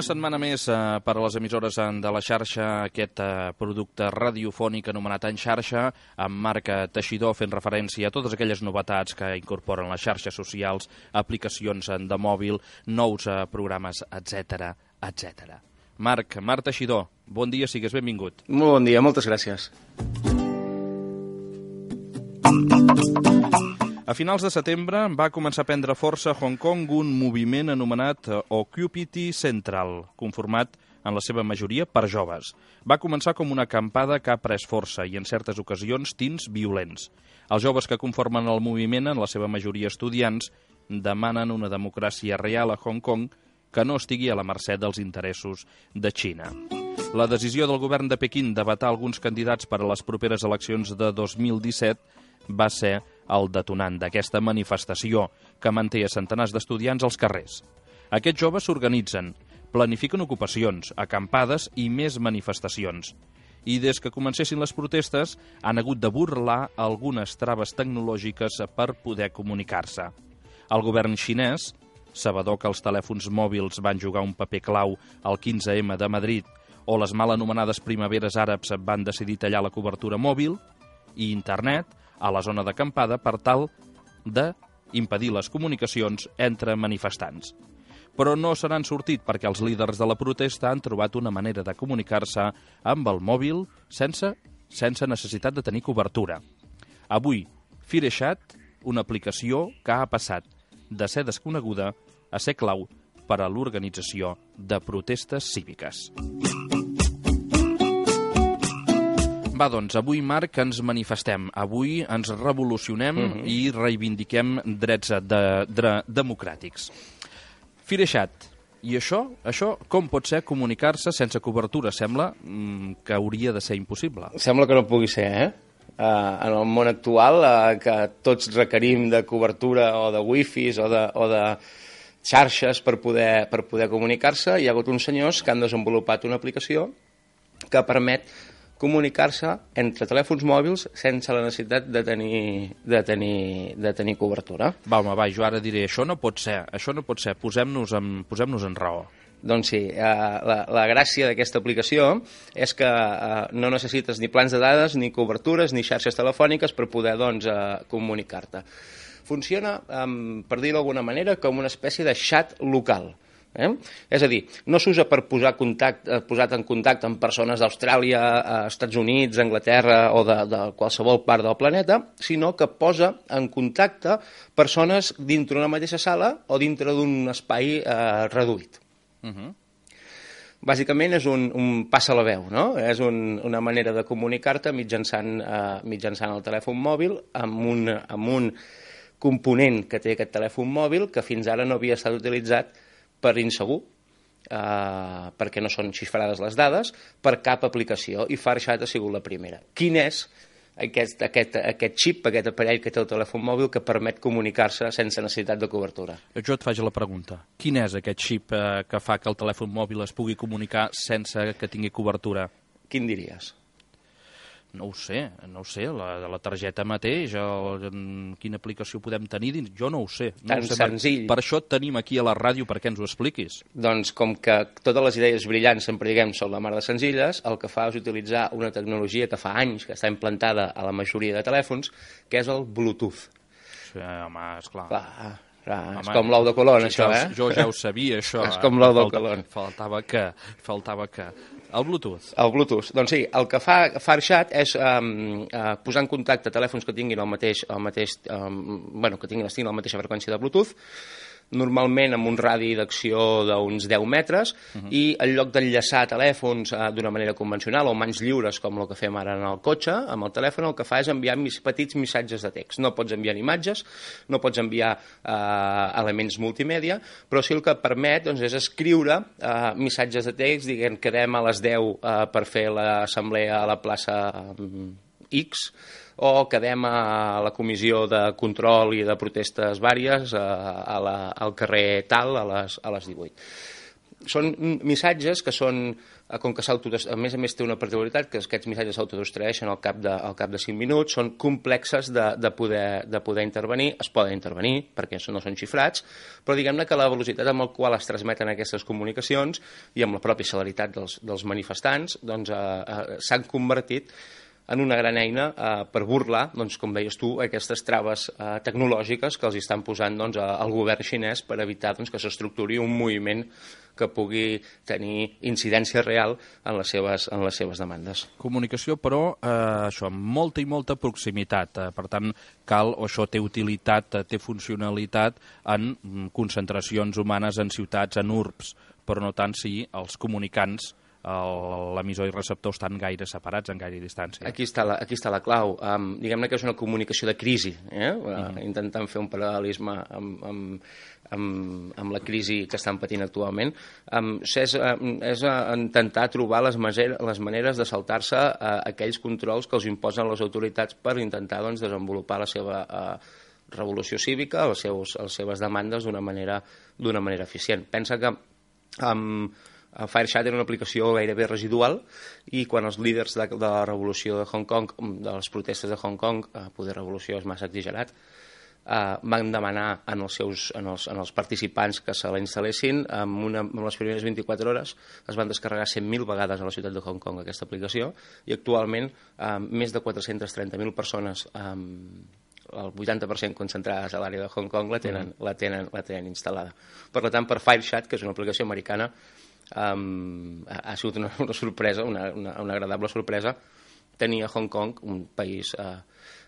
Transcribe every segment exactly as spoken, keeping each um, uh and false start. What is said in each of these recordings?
setmana més eh, per a les emissores de la xarxa, aquest eh, producte radiofònic anomenat En Xarxa, amb Marc Teixidor fent referència a totes aquelles novetats que incorporen les xarxes socials, aplicacions de mòbil, nous eh, programes, etcètera, etcètera. Marc, Marc Teixidor, bon dia, sigues benvingut. Molt bon dia, moltes gràcies. A finals de setembre va començar a prendre força a Hong Kong un moviment anomenat Occupy Central, conformat en la seva majoria per joves. Va començar com una acampada que ha pres força i en certes ocasions tints violents. Els joves que conformen el moviment, en la seva majoria estudiants, demanen una democràcia real a Hong Kong que no estigui a la mercè dels interessos de Xina. La decisió del govern de Pequín de vetar alguns candidats per a les properes eleccions de dos mil disset va ser el detonant d'aquesta manifestació que manté a centenars d'estudiants als carrers. Aquests joves s'organitzen, planifiquen ocupacions, acampades i més manifestacions. I des que comencessin les protestes han hagut de burlar algunes traves tecnològiques per poder comunicar-se. El govern xinès, sabedor que els telèfons mòbils van jugar un paper clau al quinze ema de Madrid o les mal anomenades primaveres àrabs van decidir tallar la cobertura mòbil i internet a la zona d'acampada per tal d'impedir les comunicacions entre manifestants. Però no se n'han sortit perquè els líders de la protesta han trobat una manera de comunicar-se amb el mòbil sense, sense necessitat de tenir cobertura. Avui, FireChat, una aplicació que ha passat de ser desconeguda a ser clau per a l'organització de protestes cíviques. Va, doncs, avui, Marc, ens manifestem. Avui ens revolucionem mm-hmm. i reivindiquem drets de, de, democràtics. FireChat. I això, això com pot ser comunicar-se sense cobertura? Sembla mm, que hauria de ser impossible. Sembla que no pugui ser, eh? Uh, en el món actual, uh, que tots requerim de cobertura o de wifis o de, o de xarxes per poder, per poder comunicar-se, hi ha hagut uns senyors que han desenvolupat una aplicació que permet comunicar-se entre telèfons mòbils sense la necessitat de tenir, de tenir, de tenir cobertura. Va, home, va, jo ara diré, això no pot ser, això no pot ser, posem-nos en, posem-nos en raó. Doncs sí, eh, la, la gràcia d'aquesta aplicació és que eh, no necessites ni plans de dades, ni cobertures, ni xarxes telefòniques per poder doncs, eh, comunicar-te. Funciona, eh, per dir-ho d'alguna manera, com una espècie de xat local. Eh? És a dir, no s'usa per posar contacte, posar en contacte amb persones d'Austràlia, Estats Units, Anglaterra o de, de qualsevol part del planeta, sinó que posa en contacte persones dintre d'una mateixa sala o dintre d'un espai eh, reduït. Uh-huh. Bàsicament és un, un passa la veu, no? És un, una manera de comunicar-te mitjançant, eh, mitjançant el telèfon mòbil amb un, amb un component que té aquest telèfon mòbil que fins ara no havia estat utilitzat per insegur, eh, perquè no són xifrades les dades, per cap aplicació, i FireChat ha sigut la primera. Quin és aquest, aquest, aquest xip, aquest aparell que té el telèfon mòbil que permet comunicar-se sense necessitat de cobertura? Jo et faig la pregunta. Quin és aquest xip eh, que fa que el telèfon mòbil es pugui comunicar sense que tingui cobertura? Quin diries? No ho sé, no ho sé, la, la targeta mateix, el, quina aplicació podem tenir dins, jo no ho sé. No Tan ho sé, senzill. Per, per això et tenim aquí a la ràdio perquè ens ho expliquis. Doncs com que totes les idees brillants sempre diguem són la mar de senzilles, el que fa és utilitzar una tecnologia que fa anys que està implantada a la majoria de telèfons, que és el Bluetooth. Sí, home, esclar. Clar, clar, home, és com l'ou de Colón, sí, això, eh? Jo ja ho sabia, això. És com l'ou de Colón. Faltava que, faltava que... El Bluetooth. El Bluetooth. Doncs sí, el que fa FireChat és um, uh, posar en contacte telèfons que tinguin el mateix, el mateix um, bueno, que tinguin, tinguin la mateixa freqüència de Bluetooth, normalment amb un radi d'acció d'uns deu metres, uh-huh. i en lloc d'enllaçar telèfons uh, d'una manera convencional o mans lliures, com el que fem ara en el cotxe, amb el telèfon el que fa és enviar mis, petits missatges de text. No pots enviar imatges, no pots enviar uh, elements multimèdia, però sí el que permet doncs, és escriure uh, missatges de text, diguem, quedem a les deu uh, per fer l'assemblea a la plaça um, X, o quedem a la comissió de control i de protestes vàries a, a la, al carrer tal a les, a les divuit. són missatges que són, com que a més a més té una particularitat, que aquests missatges s'autodestrueixen al cap de, al cap de cinc minuts, són complexes de, de, poder, de poder intervenir, es poden intervenir perquè no són xifrats, però diguem-ne que la velocitat amb la qual es transmeten aquestes comunicacions i amb la pròpia celeritat dels, dels manifestants doncs, eh, eh, s'han convertit en una gran eina eh, per burlar, doncs, com deies tu, aquestes traves eh, tecnològiques que els estan posant doncs, al govern xinès per evitar doncs, que s'estructuri un moviment que pugui tenir incidència real en les seves, en les seves demandes. Comunicació, però, eh, això, amb molta i molta proximitat. Eh, per tant, cal, o això té utilitat, té funcionalitat en concentracions humanes en ciutats, en urbs, però no tant si els comunicants l'emissor i receptor estan gaire separats, en gaire distància. Aquí està la, aquí està la clau. Um, diguem-ne que és una comunicació de crisi, eh? uh, mm. intentant fer un paral·lelisme amb, amb, amb, amb la crisi que estan patint actualment. Um, és, um, és uh, intentar trobar les, maner les maneres de saltar-se uh, aquells controls que els imposen les autoritats per intentar doncs, desenvolupar la seva uh, revolució cívica, els seus, les seves demandes d'una manera, d'una manera eficient. Pensa que um, Firechat era una aplicació gairebé residual i quan els líders de, de la revolució de Hong Kong, de les protestes de Hong Kong, eh, poder revolució és massa exagerat, eh, van demanar en els, seus, en, els, en els participants que se la instal·lessin, en, una, en les primeres vint-i-quatre hores es van descarregar cent mil vegades a la ciutat de Hong Kong aquesta aplicació i actualment eh, més de quatre-cents trenta mil persones eh, el vuitanta per cent concentrades a l'àrea de Hong Kong la tenen, la, tenen, la tenen instal·lada. Per tant, per Firechat, que és una aplicació americana, Um, ha, ha sigut una, una sorpresa, una, una, una agradable sorpresa tenir a Hong Kong un país uh,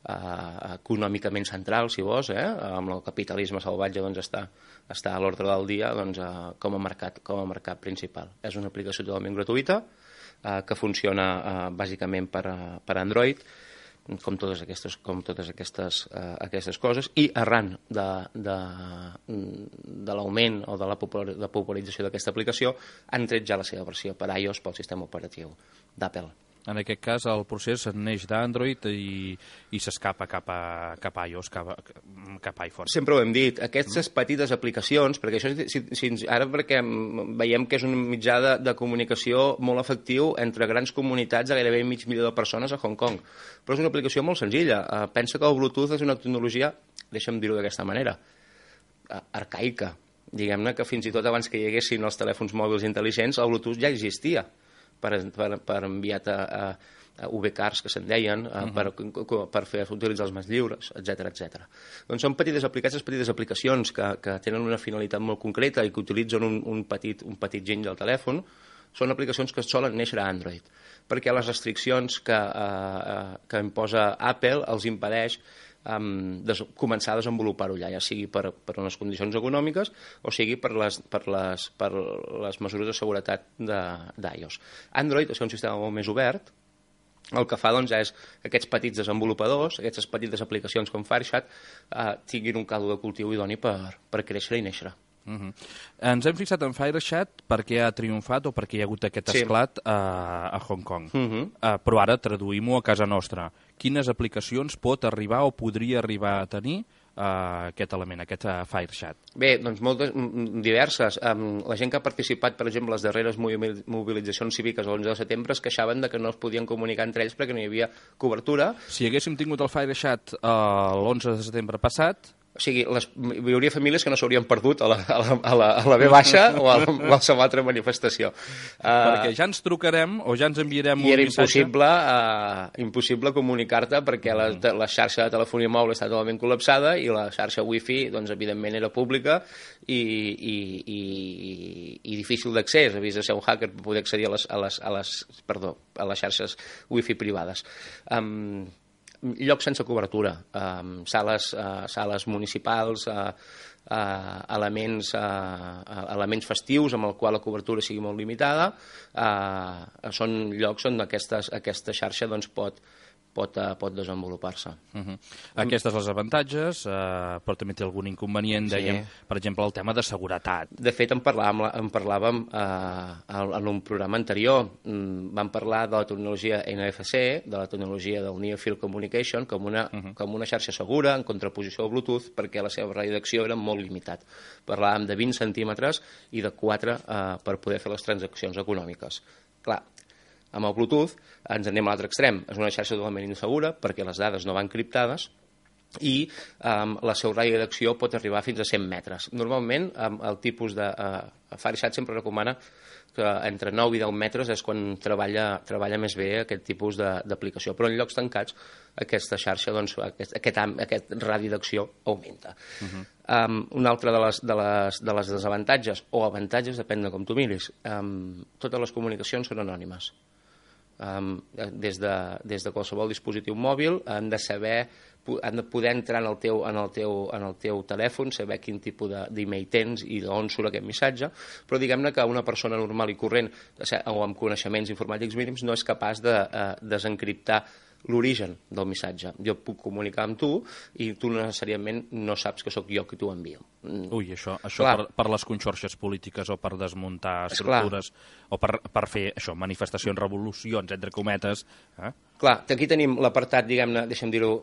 uh, econòmicament central, si vols, eh? Amb el capitalisme salvatge doncs, està, està a l'ordre del dia doncs, uh, com, a mercat, com a mercat principal. És una aplicació totalment gratuïta uh, que funciona uh, bàsicament per, uh, per Android, com totes aquestes, com totes aquestes, uh, aquestes coses, i arran de, de, de l'augment o de la popularització d'aquesta aplicació han tret ja la seva versió per iOS pel sistema operatiu d'Apple. En aquest cas, el procés neix d'Android i, i s'escapa cap, a, cap a iOS, cap a, cap a iPhone. Sempre ho hem dit, aquestes petites aplicacions, perquè això, si, si, ara perquè veiem que és un mitjà de, de comunicació molt efectiu entre grans comunitats de gairebé mig milió de persones a Hong Kong, però és una aplicació molt senzilla. Uh, pensa que el Bluetooth és una tecnologia, deixa'm dir-ho d'aquesta manera, uh, arcaica. Diguem-ne que fins i tot abans que hi haguessin els telèfons mòbils intel·ligents, el Bluetooth ja existia. Per, per, per enviar a, a, a U B cars, que se'n deien, a, uh -huh. per, per fer utilitzar els mans lliures, etcètera, etcètera. Doncs són petites aplicacions, petites aplicacions que, que tenen una finalitat molt concreta i que utilitzen un, un, petit, un petit giny del telèfon. Són aplicacions que solen néixer a Android, perquè les restriccions que, eh, que imposa Apple els impedeix Um, des, començar a desenvolupar-ho allà, ja sigui per, per unes condicions econòmiques o sigui per les, per les, per les mesures de seguretat d'iOS. Android és un sistema molt més obert, el que fa doncs, és que aquests petits desenvolupadors, aquestes petites aplicacions com Firechat, eh, tinguin un caldo de cultiu idoni per, per créixer i néixer. Uh -huh. Ens hem fixat en Firechat perquè ha triomfat o perquè hi ha hagut aquest sí. esclat a, a Hong Kong. Uh -huh. uh, però ara traduïm-ho a casa nostra. Quines aplicacions pot arribar o podria arribar a tenir uh, aquest element, aquest uh, Firechat? Bé, doncs moltes, diverses. Um, la gent que ha participat, per exemple, a les darreres mobilitzacions cíviques l'onze de setembre es queixaven de que no es podien comunicar entre ells perquè no hi havia cobertura. Si haguéssim tingut el Firechat uh, l'onze de setembre passat... O sigui, les, hi hauria famílies que no s'haurien perdut a la, a la, a la, a la B baixa o a la, qualsevol altra manifestació. Perquè uh, ja ens trucarem o ja ens enviarem un missatge. I era missatge. impossible, uh, impossible comunicar-te perquè la, la xarxa de telefonia mòbil està totalment col·lapsada i la xarxa wifi, doncs, evidentment, era pública i, i, i, i difícil d'accés. Havies de ser un hacker per poder accedir a les, a les, a les, perdó, a les xarxes wifi privades. Um, llocs sense cobertura, eh, sales, eh, sales municipals, eh, eh, elements, eh, elements festius amb el qual la cobertura sigui molt limitada, eh, són llocs on aquestes, aquesta xarxa doncs, pot, pot, uh, pot desenvolupar-se. Uh-huh. Aquestes les avantatges, uh, però també té algun inconvenient, Sí. dèiem, per exemple, el tema de seguretat. De fet, en parlàvem, en parlàvem eh, en un programa anterior. Mm, vam parlar de la tecnologia N F C, de la tecnologia del Near Field Communication, com una, uh -huh. com una xarxa segura, en contraposició al Bluetooth, perquè la seva radi d'acció era molt limitat. Parlàvem de vint centímetres i de quatre eh, per poder fer les transaccions econòmiques. Clar, amb el Bluetooth ens anem a l'altre extrem. És una xarxa totalment insegura perquè les dades no van criptades i um, la seu radi d'acció pot arribar fins a cent metres. Normalment, um, el tipus de... Uh, Firesat sempre recomana que entre nou i deu metres és quan treballa, treballa més bé aquest tipus d'aplicació. Però en llocs tancats, aquesta xarxa, doncs, aquest, aquest, aquest radi d'acció augmenta. Uh-huh. um, una altra de les, de, les, de les desavantatges, o avantatges, depèn de com tu miris, um, totes les comunicacions són anònimes. Um, des, de, des de qualsevol dispositiu mòbil han de saber, han de poder entrar en el teu, en el teu, en el teu telèfon, saber quin tipus d'email tens i d'on surt aquest missatge, però diguem-ne que una persona normal i corrent o amb coneixements informàtics mínims no és capaç de uh, desencriptar l'origen del missatge. Jo puc comunicar amb tu i tu necessàriament no saps que sóc jo qui t'ho envio. Ui, això, això per, per les conxorxes polítiques o per desmuntar estructures o per, per fer això, manifestacions, revolucions, entre cometes. Eh? Clar, aquí tenim l'apartat, diguem-ne, deixa'm dir-ho,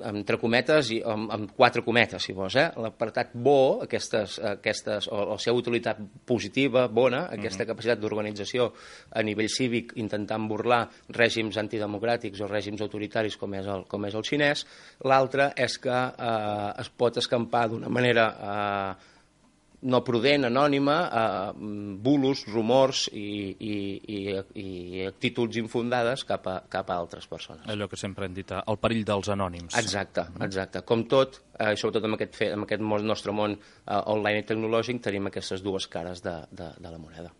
entre cometes i amb, amb quatre cometes, si vols, eh? L'apartat bo, aquestes, aquestes, o la seva utilitat positiva, bona, aquesta uh-huh. capacitat d'organització a nivell cívic, intentant burlar règims antidemocràtics o règims autoritaris com és el, com és el xinès. L'altre és que eh, es pot escampar d'una manera eh, no prudent, anònima, eh, bulos, rumors i, i, i, i actituds infundades cap a, cap a altres persones. Allò que sempre hem dit, el perill dels anònims. Exacte, exacte. Com tot, eh, sobretot en aquest, en aquest nostre món eh, online i tecnològic, tenim aquestes dues cares de, de, de la moneda.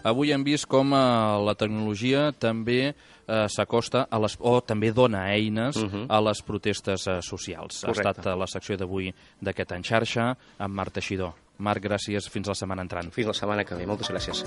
Avui hem vist com eh, la tecnologia també eh, s'acosta a les, o també dona eines uh-huh. a les protestes eh, socials. Correcte. Ha estat la secció d'avui d'aquest En Xarxa amb Marc Teixidor. Marc, gràcies. Fins la setmana entrant. Fins la setmana que ve. Moltes gràcies.